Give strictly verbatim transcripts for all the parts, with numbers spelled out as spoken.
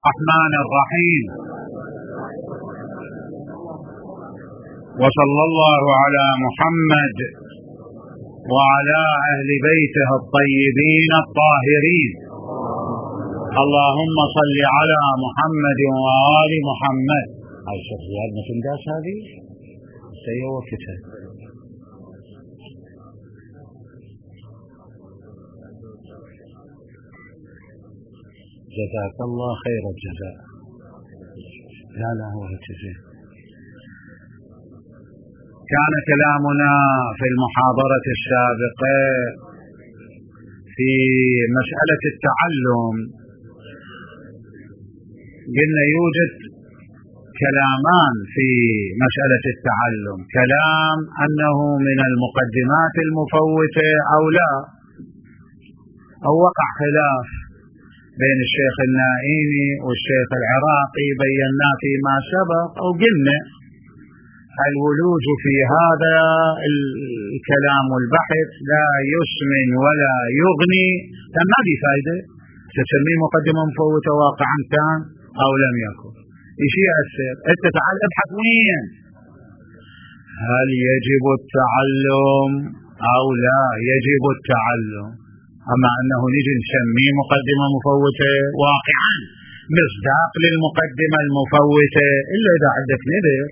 الرحمن الرحيم. وصلى الله على محمد وعلى أهل بيته الطيبين الطاهرين. اللهم صل على محمد وآل محمد. هاي شوف زيادنا في الداس هذه سيئة وقتها. جزاك الله خير الجزاء. لا لا هو الجزاء. كان كلامنا في المحاضرة السابقة في مسألة التعلم. قلنا يوجد كلامان في مسألة التعلم، كلام أنه من المقدمات المفوتة أو لا، أو وقع خلاف بين الشيخ النائمي والشيخ العراقي بينا فيما سبق، أو قلنا الولوج في هذا الكلام والبحث لا يسمن ولا يغني، ما في فائدة تسميه مقدمة مفوتة واقعا كان أو لم يكن. إيش يأثر؟ أنت تعال ابحث وين، هل يجب التعلم أو لا يجب التعلم. أما أنه نجي نسميه مقدمة مفوتة واقعا مصداق للمقدمة المفوتة، إلا إذا عندك نذر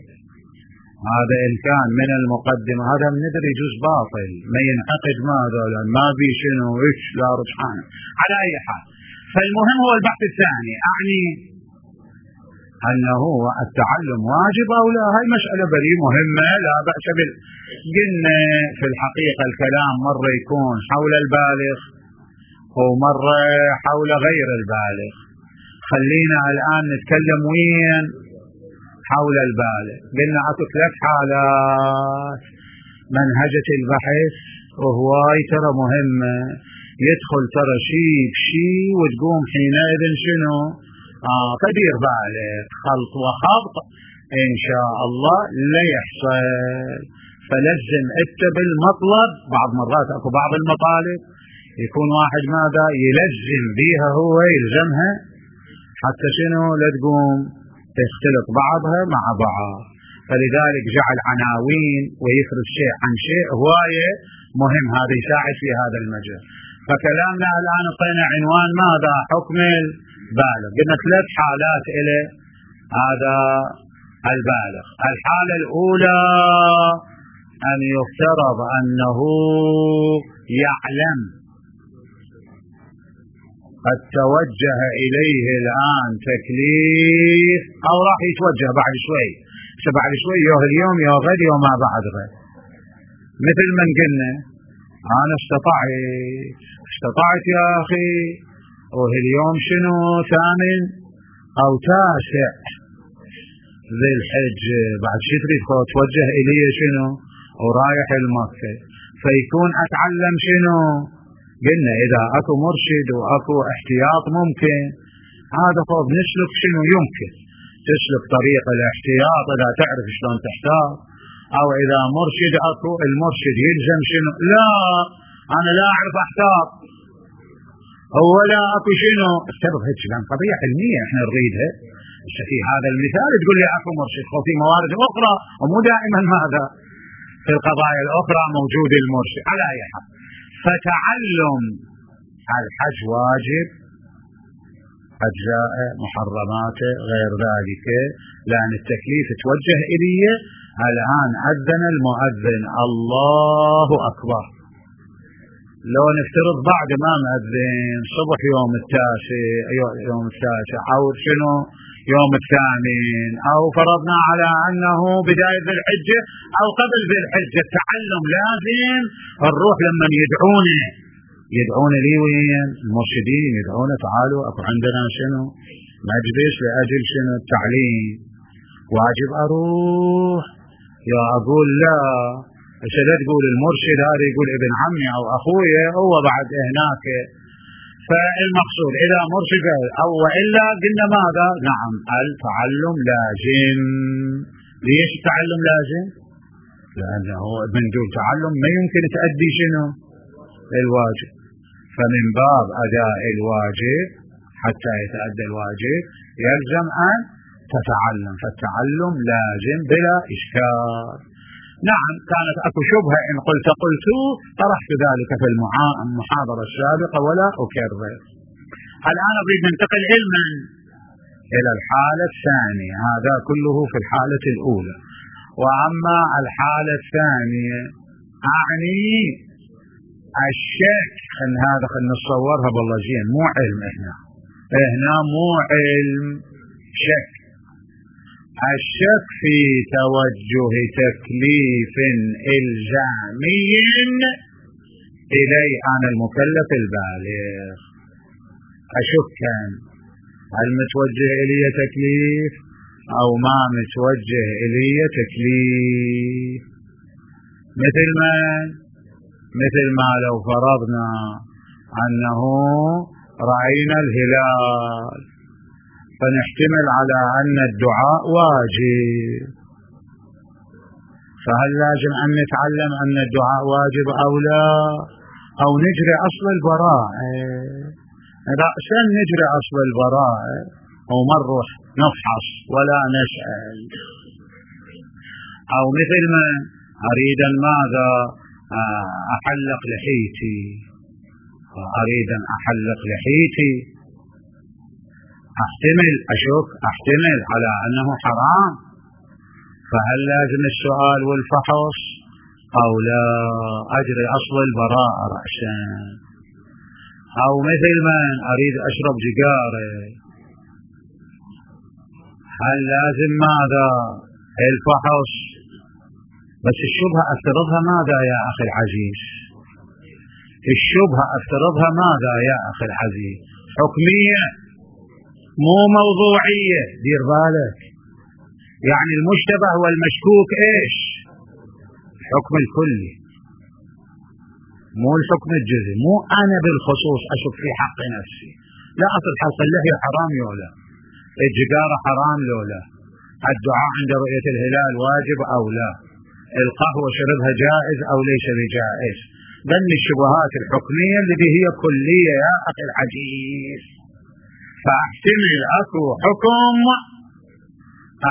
هذا إن كان من المقدمة، هذا النذر يجوز باطل ما ينعقد، ماذا لأن ما بي شنو إيش لا رجحان. على أي حال، فالمهم هو البحث الثاني، أعني أنه التعلم واجب أو لا. هاي مسألة بري مهمة لا بأس بال. قلنا في الحقيقة الكلام مرة يكون حول البالغ ومرة حول غير البالغ. خلينا الآن نتكلم وين حول البالغ. قلنا أكو ثلاث حالات منهجة البحث وهواي ترى مهمة، يدخل ترى شيء بشيء وتقوم حينئذ شنو آه تدير بالك خلط وخبط إن شاء الله لا يحصل. فلزم أنت بالمطلب. بعض مرات أكو بعض المطالب يكون واحد ماذا يلزم بيها، هو يلزمها حتى شنو لا تقوم تختلط بعضها مع بعض. فلذلك جعل عناوين ويفرض شيء عن شيء هواية مهم، هذا يساعد في هذا المجال. فكلامنا الآن اعطينا عنوان ماذا؟ حكم البالغ. قلنا ثلاث حالات إلى هذا البالغ. الحالة الأولى أن يفترض أنه يعلم، قد توجه إليه الآن تكليف أو راح يتوجه بعد شوي، بعد شوي يوه اليوم يوه غد يوه ما بعد غد. مثل من قلنا أنا استطعت استطعت يا أخي، وهاليوم شنو ثامن أو تاسع ذي الحج، بعد شي تريد توجه إليه شنو ورايح المكة، فيكون أتعلم شنو. قلنا إذا أكو مرشد وأكو احتياط ممكن هذا فوق نسلك شنو يمكن تسلك طريق الاحتياط إذا تعرف شلون تحتاط، أو إذا مرشد أكو المرشد يلزم شنو، لا أنا لا أعرف أحتاط ولا أكو شنو افترض هيك لان قضية علمية احنا نريدها. في هذا المثال تقول لي أكو مرشد، وفي موارد أخرى ومو دائما هذا في القضايا الأخرى موجود المرشد. على أي حال، فتعلم الحج واجب، أجزاء محرماته غير ذلك، لأن التكليف توجه إليه. الآن أذن المؤذن الله أكبر، لو نفترض بعد ما مأذن صبح يوم التاسع يوم التاسع أو شنو يوم الثامن، أو فرضنا على أنه بداية ذي الحجة أو قبل ذي الحجة، التعلم لازم الروح لما يدعونه يدعون لي وين المرشدين يدعونه تعالوا أكو عندنا شنو مجلس لأجل شنو التعليم، واجب أروح يا أقول لا. إيش لا تقول المرشد هذا يقول ابن عمي أو أخويا هو بعد هناك. فالمقصود إذا مرشد أو وإلا قلنا ماذا؟ نعم التعلم لازم. ليش التعلم لازم؟ لأنه من دون تعلم ما يمكن تأدي شنو الواجب. فمن باب أداء الواجب حتى يتأدى الواجب يلزم أن تتعلم، فالتعلم لازم بلا إشكال. نعم كانت أكو شبهة إن قلت قلت طرحت ذلك في المحاضرة السابقة ولا أكرر. الآن أريد ننتقل علما إلى الحالة الثانية، هذا كله في الحالة الأولى. وأما الحالة الثانية أعني الشك، إن هذا خلنا نصورها بالله زين، مو علم، إحنا إحنا مو علم، شك. الشك في توجه تكليف إلزامي إلي أنا المكلف البالغ. أشك هل متوجه إلي تكليف أو ما متوجه إلي تكليف. مثل ما مثل ما لو فرضنا أنه رأينا الهلال، فنحتمل على أن الدعاء واجب، فهل لازم أن نتعلم أن الدعاء واجب أو لا، أو نجري أصل البراءة؟ رأسا نجري أصل البراءة وما نروح نفحص ولا نسأل. أو مثل ما أريد ماذا أحلق لحيتي، أريد أن أحلق لحيتي، أحتمل أشك أحتمل على أنه حرام، فهل لازم السؤال والفحص أو لا، أجري أصل البراءة رأسا. أو مثل ما أريد أشرب سيجارة، هل لازم ماذا الفحص؟ بس الشبهة أفترضها ماذا يا أخي العزيز، الشبهة أفترضها ماذا يا أخي العزيز، حكمية مو موضوعية، دير بالك. يعني المشتبه والمشكوك إيش؟ الحكم الكلي مو الحكم الجزئي، مو أنا بالخصوص أشك في حق نفسي، لا أصل حلق اللحية حرام لولا، الجدارة حرام لولا، الدعاء عند رؤية الهلال واجب أو لا، القهوة شربها جائز أو ليس بجائز. بل الشبهات الحكمية التي هي كلية يا أخي العزيز. فاحتمل أكو حكم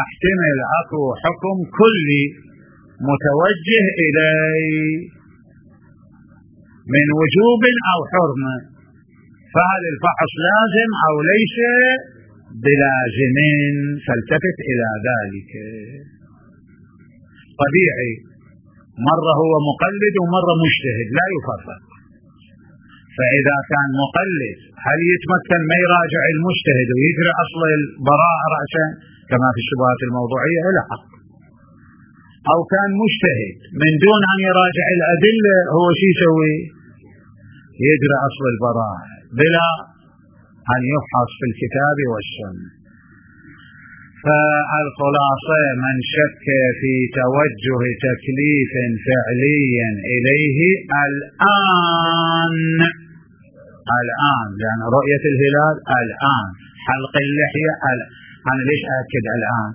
احتمل أكو حكم كلي متوجه إلي من وجوب أو حرمة، فهل الفحص لازم أو ليس بلازم؟ فالتفت إلى ذلك. طبيعي مرة هو مقلد ومرة مجتهد، لا يفرق. فإذا كان مقلد هل يتمكن ما يراجع المجتهد ويجري أصل البراءة رأسا كما في الشبهات الموضوعية؟ إلى حق. أو كان مجتهد من دون أن يراجع الأدلة، هو شو يسوي؟ يجري أصل البراءة بلا أن يفحص في الكتاب والسنة. فالخلاصة من شك في توجه تكليف فعليا إليه الآن الآن لأن رؤية الهلال الآن، حلق اللحية الآن. أنا ليش أأكد الآن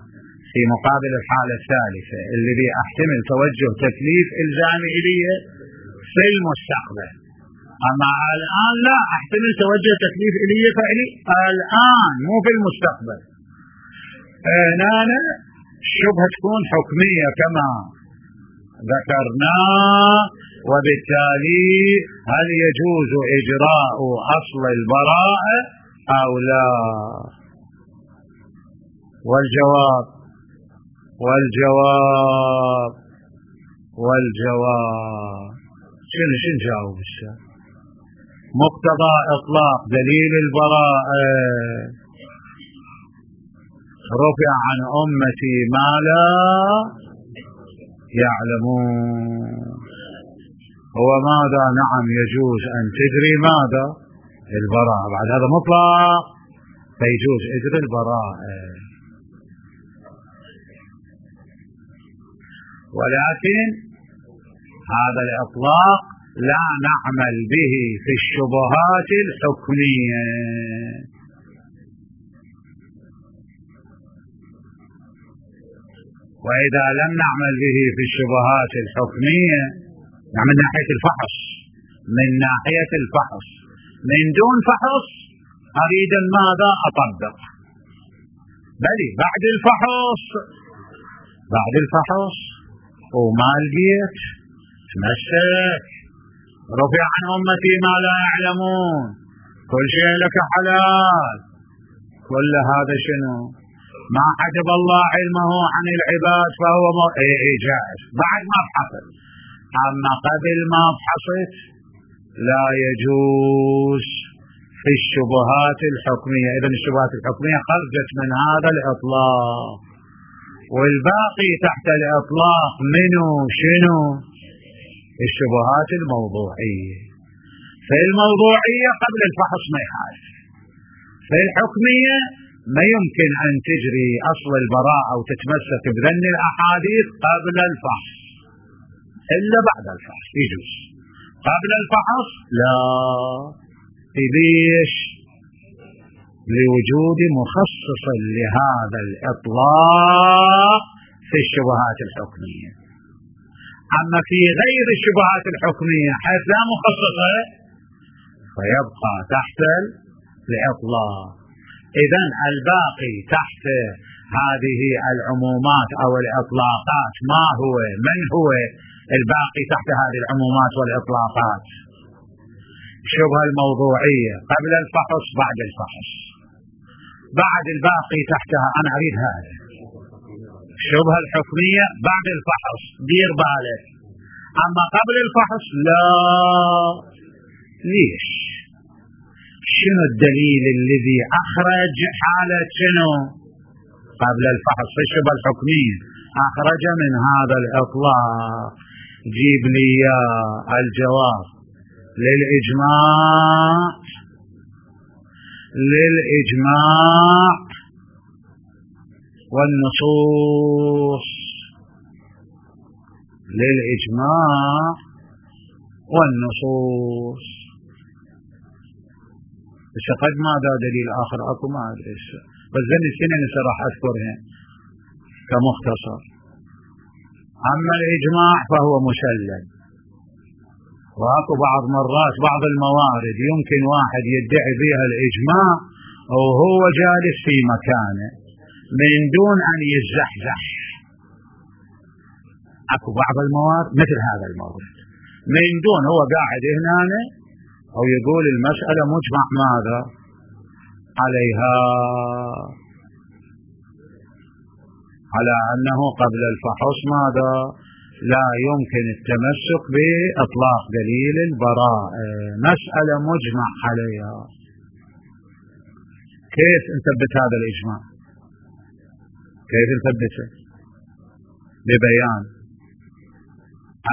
في مقابل الحالة الثالثة اللي بي أحتمل توجه تكليف إلزامي إليه في المستقبل، أما الآن لا أحتمل توجه تكليف إليه فعلي الآن مو في المستقبل. هنا الشبهة تكون حكمية كما ذكرنا، وبالتالي هل يجوز إجراء أصل البراءة أو لا؟ والجواب والجواب والجواب شنو شنو جاوب الشيخ؟ مقتضى إطلاق دليل البراءة رفع عن أمتي ما لا يعلمون. هو ماذا؟ نعم يجوز أن تجري ماذا؟ البراءة، بعد هذا مطلق فيجوز إجري البراءة. ولكن هذا الإطلاق لا نعمل به في الشبهات الحكمية. وإذا لم نعمل به في الشبهات الحكمية من ناحية الفحص من ناحية الفحص من دون فحص أريد ماذا أطبق، بل بعد الفحص بعد الفحص وما لقيت تمسك، رفع عن أمتي ما لا يعلمون، كل شيء لك حلال، كل هذا شنو؟ ما حجب الله علمه عن العباد فهو م... اي اي جائز بعد ما فحصت. أما قبل ما فحصت لا يجوز في الشبهات الحكمية. إذن الشبهات الحكمية خرجت من هذا الإطلاق، والباقي تحت الإطلاق منه شنو؟ الشبهات الموضوعية. في الموضوعية قبل الفحص ما يخالف، في الحكمية ما يمكن أن تجري أصل البراءة أو تتمسك بذن الأحاديث قبل الفحص إلا بعد الفحص يجوز. قبل الفحص لا. ليش؟ لوجود مخصص لهذا الإطلاق في الشبهات الحكمية. أما في غير الشبهات الحكمية حيث لا مخصصة فيبقى تحت الإطلاق. إذن الباقي تحت هذه العمومات أو الإطلاقات ما هو؟ من هو الباقي تحت هذه العمومات والإطلاقات؟ الشبهة الموضوعية قبل الفحص بعد الفحص. بعد الباقي تحتها أنا أريد هذا. الشبهة الحكمية بعد الفحص دير بالك، أما قبل الفحص لا. ليش؟ شنو الدليل الذي أخرج حالة شنو قبل الفحص في الشبهة الحكمية أخرج من هذا الإطلاق؟ جيب لي الجواب. للإجماع للإجماع والنصوص للإجماع والنصوص. بس قد ماذا دليل آخر أكو ما أدري، بس ذني السنين راح أذكرها كمختصر. أما الإجماع فهو مسلم، وأكو بعض مرات بعض الموارد يمكن واحد يدعي بها الإجماع وهو جالس في مكانه من دون أن يزحزح. أكو بعض الموارد مثل هذا المورد من دون، هو قاعد هنا أو يقول المسألة مجمع ماذا عليها، على أنه قبل الفحص ماذا لا يمكن التمسك بإطلاق دليل البراءة، مسألة مجمع عليها. كيف نثبت هذا الإجماع؟ كيف نثبته؟ ببيان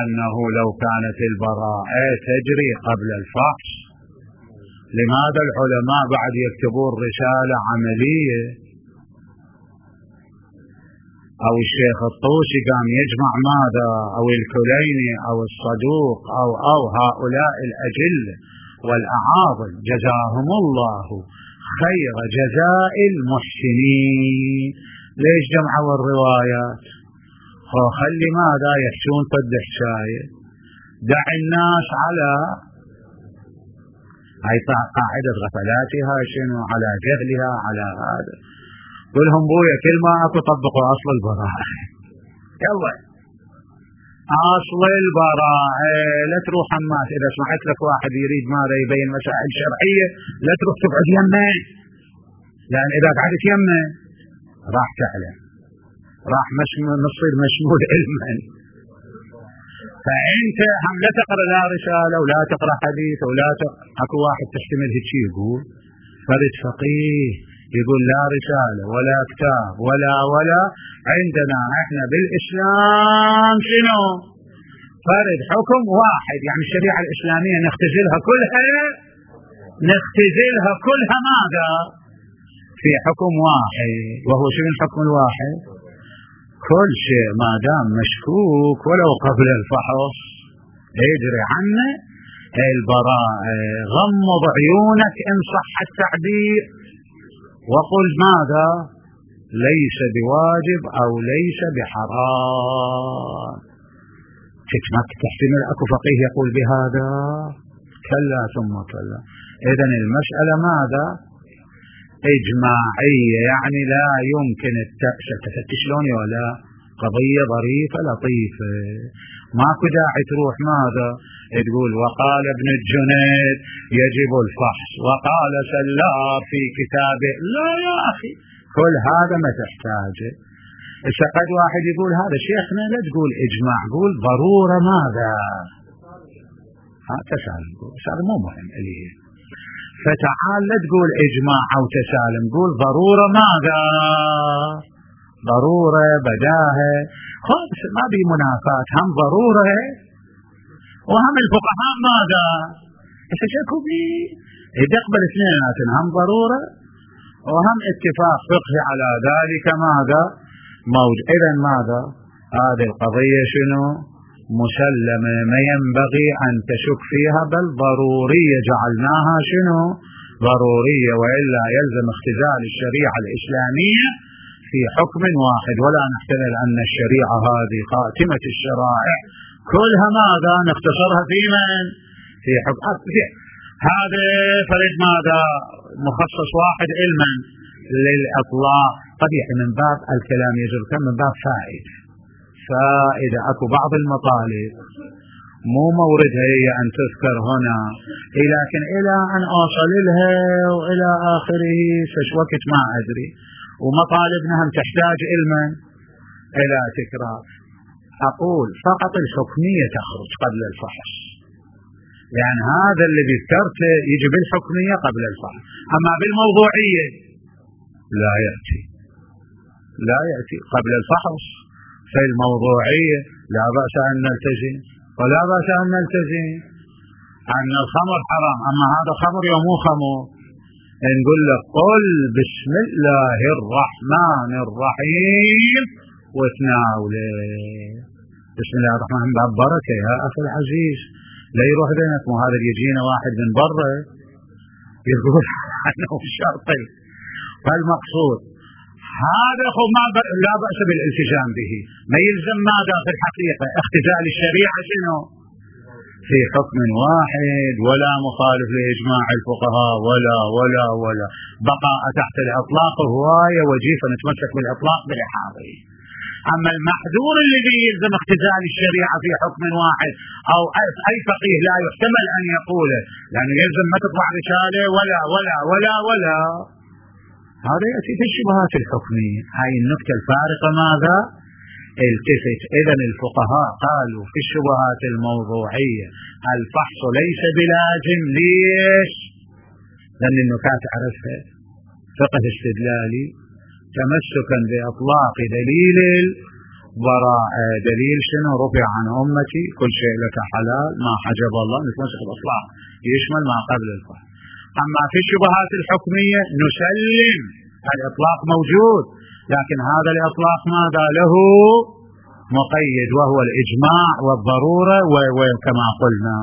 أنه لو كانت البراءة تجري قبل الفحص، لماذا العلماء بعد يكتبون رسالة عملية؟ أو الشيخ الطوسي قام يجمع ماذا، أو الكليني أو الصدوق أو أو هؤلاء الأجلة والأعاظم جزاهم الله خير جزاء المحسنين، ليش جمعوا الروايات؟ خلي ماذا يحشون قد حشاية، دع الناس على هاي قاعدة غفلاتها شنو، على جهلها على هذا. قلهم بويا كل ما أكو طبقوا أصل البراءة. يلا أصل البراءة، لا تروح حماس إذا سمعت لك واحد يريد ماذا يبين مسائل شرعية لا تروح تقعد يمه، لأن إذا قعدت يمه راح تعلم، راح نصير مشمول علما. فأنت هم لا تقرأ لا رسالة ولا تقرأ حديث ولا تقرأ. أكو واحد تحتمل هيك يقول فرد فقيه يقول لا رسالة ولا كتاب ولا ولا عندنا احنا بالإسلام شنو فرد حكم واحد، يعني الشريعة الإسلامية نختزلها كلها نختزلها كلها ماذا في حكم واحد، وهو شنو الحكم الواحد؟ كل شيء ما دام مشكوك ولو قبل الفحص يجري عنه البراءة. غمض عيونك إن صح التعبير وقل ماذا ليس بواجب أو ليس بحرام. تتمك تحتمل أكو فقيه يقول بهذا؟ كلا ثم كلا. إذن المسألة ماذا إجماعية، يعني لا يمكن التفتش شلون ولا قضية ظريفة لطيفة، ماكو داعي تروح ماذا تقول وقال ابن الجنيد يجب الفحص وقال سلار في كتابه. لا يا أخي، كل هذا ما تحتاجه. إذا قد واحد يقول هذا شيخنا لا تقول إجماع، قول ضرورة ماذا، ها تسالم، هذا مو مهم إليه. فتعال لا تقول إجماع أو تسالم، قول ضرورة ماذا، ضرورة بداهة، خلاص ما بي منافات، هم ضرورة وهم الفقهاء ماذا يشكوا بي يقبل اثنين، هم ضرورة وهم اتفاق فقهي على ذلك ماذا موجود. إذن ماذا هذه القضية شنو مسلمة، ما ينبغي أن تشك فيها، بل ضرورية جعلناها شنو ضرورية، وإلا يلزم اختزال الشريعة الإسلامية في حكم واحد، ولا نحتمل أن الشريعة هذه خاتمة الشرائع كلها ماذا نختصرها في من في حكم هذا فرد ماذا مخصص واحد علما للإطلاق. قبيح من باب الكلام يجر كم من باب فائدة، فإذا أكو بعض المطالب مو موردها هي أن تذكر هنا، لكن إلى أن أوصل لها وإلى آخره فش وقت ما أدري، ومطالبنا هم تحتاج علما إلى تكرار. أقول فقط الحكمية تخرج قبل الفحص، يعني هذا اللي ذكرته يجي بالحكمية قبل الفحص، أما بالموضوعية لا يأتي لا يأتي قبل الفحص. في الموضوعية لا بأس أن نلتزم ولا بأس أن نلتزم أن الخمر حرام، أما هذا خمر ومو خمر، نقول لك قل بسم الله الرحمن الرحيم وتناوله. بسم الله الرحمن الرحيم باب بركة يا أخي العزيز، لا يروح بينك، مو هذا يجينا واحد من برا يقول أنه شرطي. فالمقصود هذا خو ما ب... لا بأس بالالتزام به، ما يلزم ماذا في الحقيقة اختزال الشريعة شنو في حكم واحد، ولا مخالف لإجماع الفقهاء ولا ولا ولا بقاء تحت الإطلاق هواية وجيفة نتمسك بالإطلاق بالإحاطة. أما المحذور الذي يلزم اختزال الشريعة في حكم واحد أو أي فقيه لا يحتمل أن يقوله، لأنه يلزم ما تطلع رسالة ولا ولا ولا ولا هذا يأتي في الشبهات الحكمية. هاي النكتة الفارقة ماذا التفت. إذن الفقهاء قالوا في الشبهات الموضوعية الفحص ليس بلازم. ليش؟ لأن النكات عرفها فقه استدلالي تمسكا بأطلاق دليل البراءة. دليل شنو؟ رفع عن أمتي كل شيء لك حلال ما حجب الله، نتمسك بأطلاق يشمل ما قبل الفحص. أما في الشبهات الحكمية نسلم الإطلاق موجود، لكن هذا الإطلاق ماذا له مقيد وهو الإجماع والضرورة وكما قلنا.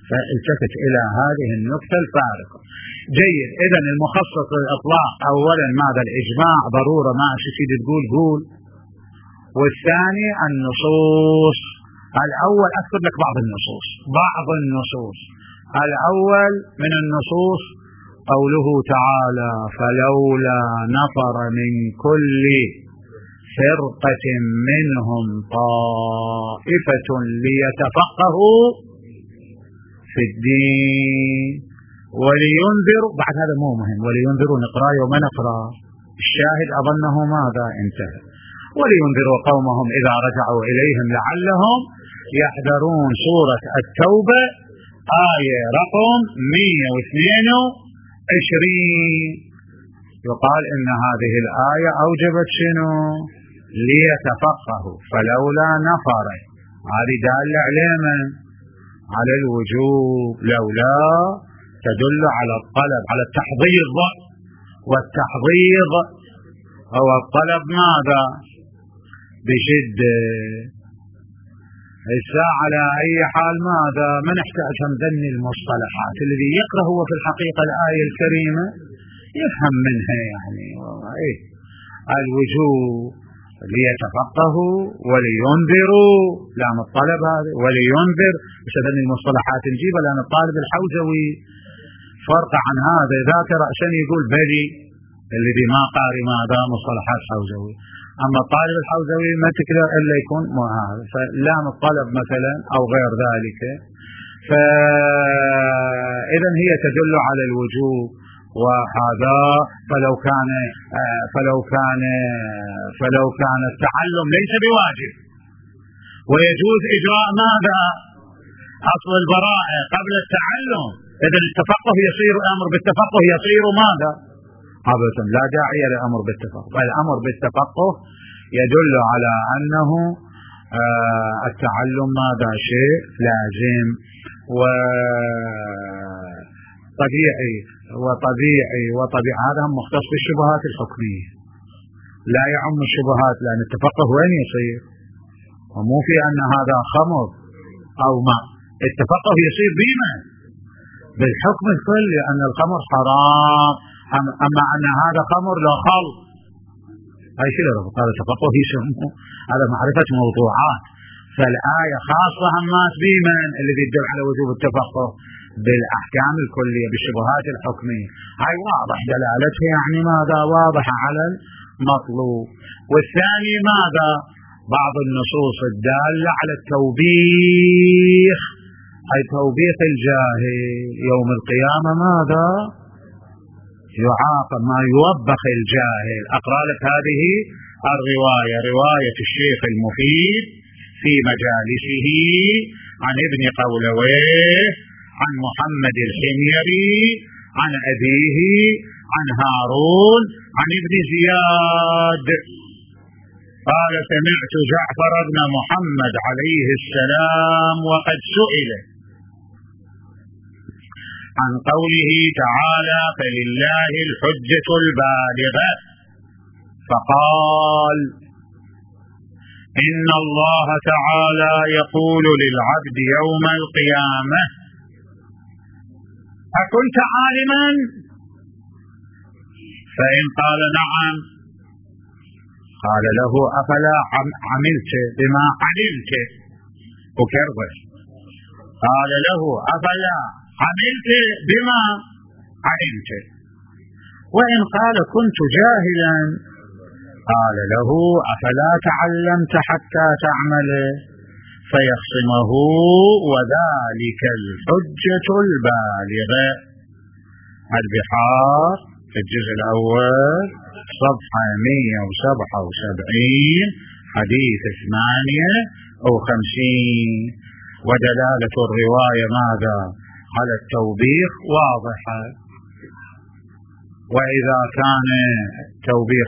فالتفت إلى هذه النقطة الفارقة. جيد. إذن المخصص للإطلاق أولا ماذا الإجماع ضرورة ما أشتي تقول قول. والثاني النصوص. الأول أذكر لك بعض النصوص بعض النصوص الأول من النصوص قوله تعالى فلولا نفر من كل فرقة منهم طائفة ليتفقهوا في الدين ولينذروا. بعد هذا مو مهم، ولينذروا نقرأ يوم نقرأ الشاهد أظنه ماذا انتهى. ولينذروا قومهم إذا رجعوا إليهم لعلهم يحذرون. سورة التوبة آية رقم مئة واثنين وعشرين. يقال إن هذه الآية أوجبت شنو؟ ليتفقهوا. فلولا نفر هذه دالة على من؟ على الوجوب. لولا تدل على الطلب، على التحضيض، والتحضيض هو الطلب ماذا؟ بشدة. الساعة على أي حال ماذا؟ ما نحتاج هم ذني المصطلحات. الذي يقرأ هو في الحقيقة الآية الكريمة يفهم منها يعني إيه الوجوب ليتفقهوا ولينذروا. لام الطلب هذا ولينذر. مش ذني المصطلحات نجيبها لأن الطالب الحوزوي فرق عن هذا ذاك رأسا يقول بلي الذي ما قاري ماذا مصطلحات حوزوي. أما الطالب الحوزوي ما تقدر إلا يكون هذا، فلام الطلب مثلا أو غير ذلك، فإذا هي تدل على الوجوب. وهذا فلو كان فلو كان فلو كان التعلم ليس بواجب ويجوز إجراء ماذا أصل البراءة قبل التعلم، إذا التفقه يصير الأمر بالتفقه يصير ماذا أبدا لا داعي للأمر بالتفقه. الأمر بالتفقه يدل على أنه التعلم ماذا شيء لازم وطبيعي وطبيعي وطبيعي. هذا مختص بالشبهات الحكمية، لا يعم الشبهات، لأن التفقه وين يصير؟ ومو في أن هذا خمر أو ماء، التفقه يصير بما بالحكم الكلي أن الخمر حرام، أما أن هذا خمر لا خل هاي شيء رفض. هذا تفقه يسموه هذا معرفة موضوعات. فالآية خاصة همات بمن الذي يدل على وجوب التفقه بالأحكام الكلية بالشبهات الحكمية، هاي واضح دلالتها يعني ماذا واضحة على المطلوب. والثاني ماذا بعض النصوص الدالة على التوبيخ، أي توبيخ الجاهل يوم القيامة ماذا يعاقب ما يوبخ الجاهل. أقرأ لك هذه الرواية، رواية الشيخ المفيد في مجالسه عن ابن قولويه عن محمد الحميري عن أبيه عن هارون عن ابن زياد قال سمعت جعفر بن محمد عليه السلام وقد سئل عن قوله تعالى فلله الحجة البالغة فقال إن الله تعالى يقول للعبد يوم القيامة أكنت عالما؟ فإن قال نعم قال له أفلا عملت بما علمت وكربش. قال له أفلا عملت بما علمت. وإن قال كنت جاهلا قال له أفلا تعلمت حتى تعمل فيخصمه وذلك الحجة البالغة. البحار في الجزء الأول صفحة مئة وسبعة وسبعين حديث ثمانية أو خمسين. ودلالة الرواية ماذا على التوبيخ واضحة. وإذا كان توبيخ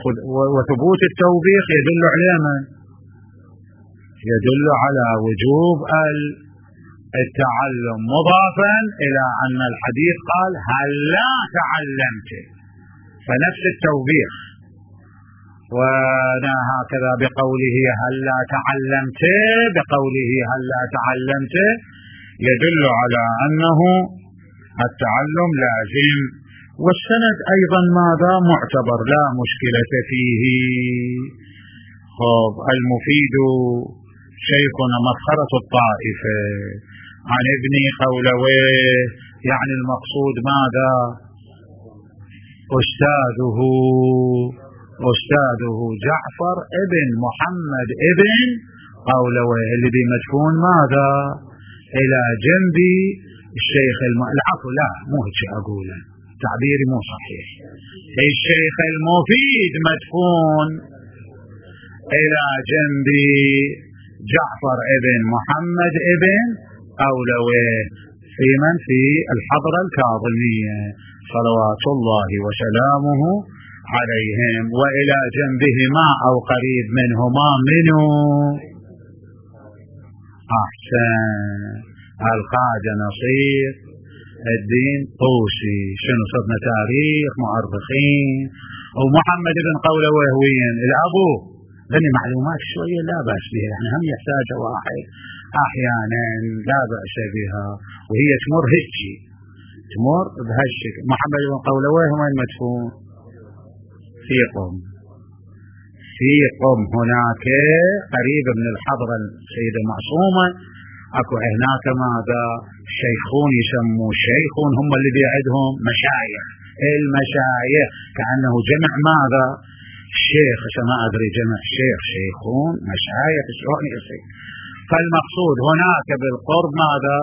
وثبوت التوبيخ يدل على من؟ يدل على وجوب التعلم مضافا إلى أن الحديث قال هل لا تعلمت، فنفس التوبيخ. وهكذا بقوله هل لا تعلمت بقوله هل لا تعلمت يدل على أنه التعلم لازم. والسند أيضا ماذا معتبر لا مشكلة فيه. خب المفيد شيخنا مسخرة الطائفة عن ابن قولويه، يعني المقصود ماذا أستاذه أستاذه جعفر ابن محمد ابن قولويه الذي مدفون ماذا إلى جنب الشيخ الم... العفو لا مو هيك أقوله تعبيري مو صحيح. الشيخ المفيد مدفون إلى جنب جعفر ابن محمد ابن قولويه في من في الحضرة الكاظمية صلوات الله وسلامه عليهم. وإلى جنبهما أو قريب منهما منه أحسن الخواجة نصير الدين طوسي. شنو صرنا تاريخ مؤرخين. ومحمد بن قولويه وين الأبو بني معلومات شوية لا بأس بها، يعني هم يحتاج واحد أحيانا لا بأس بها، وهي تمر هيجي تمر بهالشكل. محمد بن قولويه وين مدفون؟ في قم في قم هناك قريب من الحضرة السيدة المعصومة. اكو هناك ماذا شيخون يسموا شيخون هم اللي بيعدهم مشايخ المشايخ، كأنه جمع ماذا؟ شيخ، عشان ما أدري جمع شيخ شيخون مشايخ شلون يصير. فالمقصود هناك بالقرب ماذا؟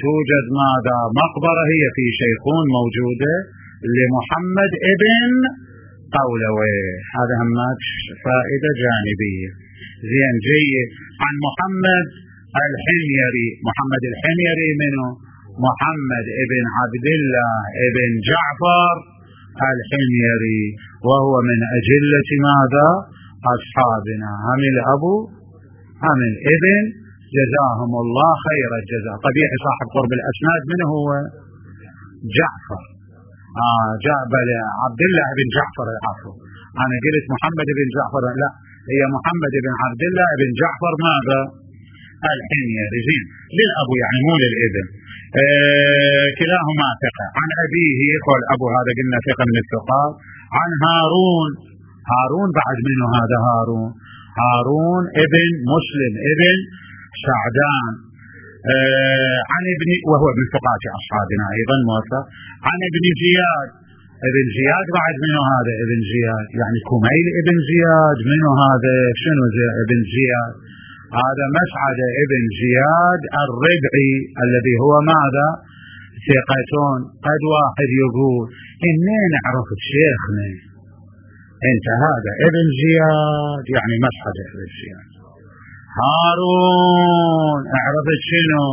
توجد ماذا؟ مقبرة هي في شيخون موجودة لمحمد ابن قولوي. هذا هم فائدة جانبية. زين جيد. عن محمد الحميري. محمد الحميري منه؟ محمد ابن عبد الله ابن جعفر الحميري، وهو من أجلة ماذا؟ أصحابنا. هم الأبو هم الابن، جزاهم الله خير الجزاء. طبيعي صاحب قرب الأسناد منه هو جعفر آه جابل عبد الله بن جعفر. العفو، أنا قلت محمد بن جعفر، لا، هي محمد بن عبد الله بن جعفر ماذا؟ الحميري. زين، للأبو يعني مو للابن. آه كلاهما ثقة. عن أبيه، قال أبو هذا قلنا ثقة من الثقات. عن هارون. هارون بعد منه هذا هارون؟ هارون ابن مسلم ابن سعدان. آه عن ابن، وهو من ثقات أصحابنا أيضا موثق. عن ابن زياد. ابن زياد بعد منه هذا؟ ابن زياد يعني كميل ابن زياد. منه هذا؟ شنو ابن زياد؟ هذا مسعد ابن زياد الربعي الذي هو ماذا؟ ثقتون. قد واحد يقول إنين عرفت شيخنا انت هذا ابن زياد يعني مسعد ابن زياد. هارون عرفت شنو؟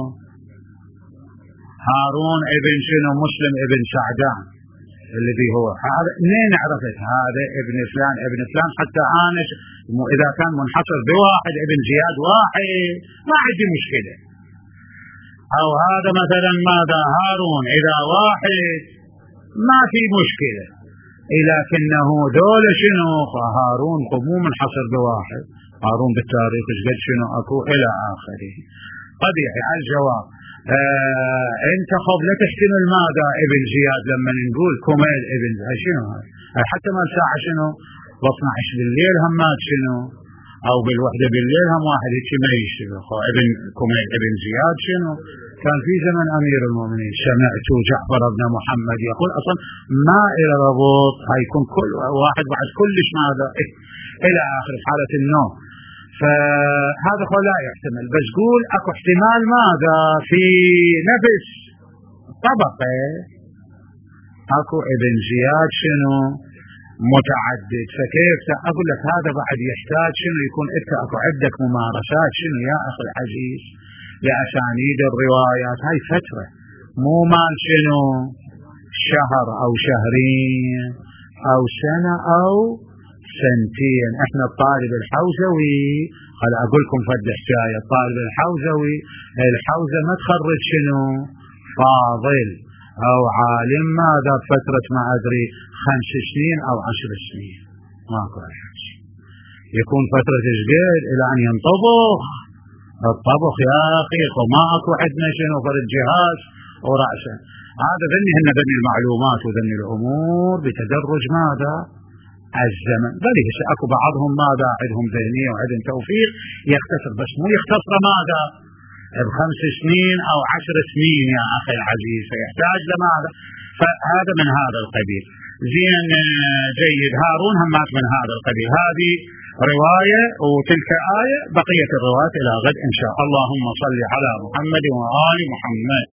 هارون ابن شنو؟ مسلم ابن سعدان الذي هو هذا. منين عرفت هذا ابن فلان ابن فلان؟ حتى انا اذا كان منحصر بواحد ابن زياد واحد ما عندي مشكلة، او هذا مثلا ماذا؟ هارون اذا واحد ما في مشكلة، لكنه دول شنو؟ هارون مو منحصر بواحد، هارون بالتاريخ قد شنو اكو الى اخره. طبيعي. الجواب آه انت خب لا تحتمل ماذا؟ ابن زياد لما نقول كميل ابن زياد شنو هذا؟ حتى ما الساعة شنو؟ باثنى عشر بالليل همات شنو؟ او بالوحدة بالليل هم واحد هيك ما يشتغل. ابن كميل ابن زياد شنو؟ كان في زمن امير المؤمنين. سمعت جعفر بن محمد يقول اصلا ما الى ربط، هيكون كل واحد بعد كلش ماذا الى اخر حالة النوم. فهذا هو لا يحتمل، بس قول اكو احتمال ماذا؟ في نفس طبقة اكو ابن زياد شنو؟ متعدد. فكيف اقول لك هذا بعد يحتاج شنو؟ يكون انت اكو عندك ممارسات شنو يا اخي العزيز لأسانيد الروايات. هاي فترة مو مال شنو؟ شهر او شهرين او سنة او سنتين. احنا الطالب الحوزوي، خل اقول لكم فد حكاية. الطالب الحوزوي الحوزة ما تخرج شنو؟ فاضل او عالم ماذا بفترة ما ادري خمس سنين او عشر سنين، ماكو احد يكون فترة جديد الى ان ينطبخ الطبخ يا اخي. وما اكو عندنا شنو فرد جهاز ورأسه. هذا ذني هن ذني المعلومات وذني الامور بتدرج ماذا؟ الزمن. بل هسه اكو بعضهم ماذا عندهم ذهنية وعندهم توفيق يختصر، بس مو يختصر ماذا؟ بخمس سنين او عشر سنين يا اخي العزيز، فيحتاج لماذا؟ فهذا من هذا القبيل. زين جيد. هارون همات من هذا القبيل. هذه رواية وتلك آية. بقية الروايات إلى غد إن شاء الله. اللهم صل على محمد وآل محمد.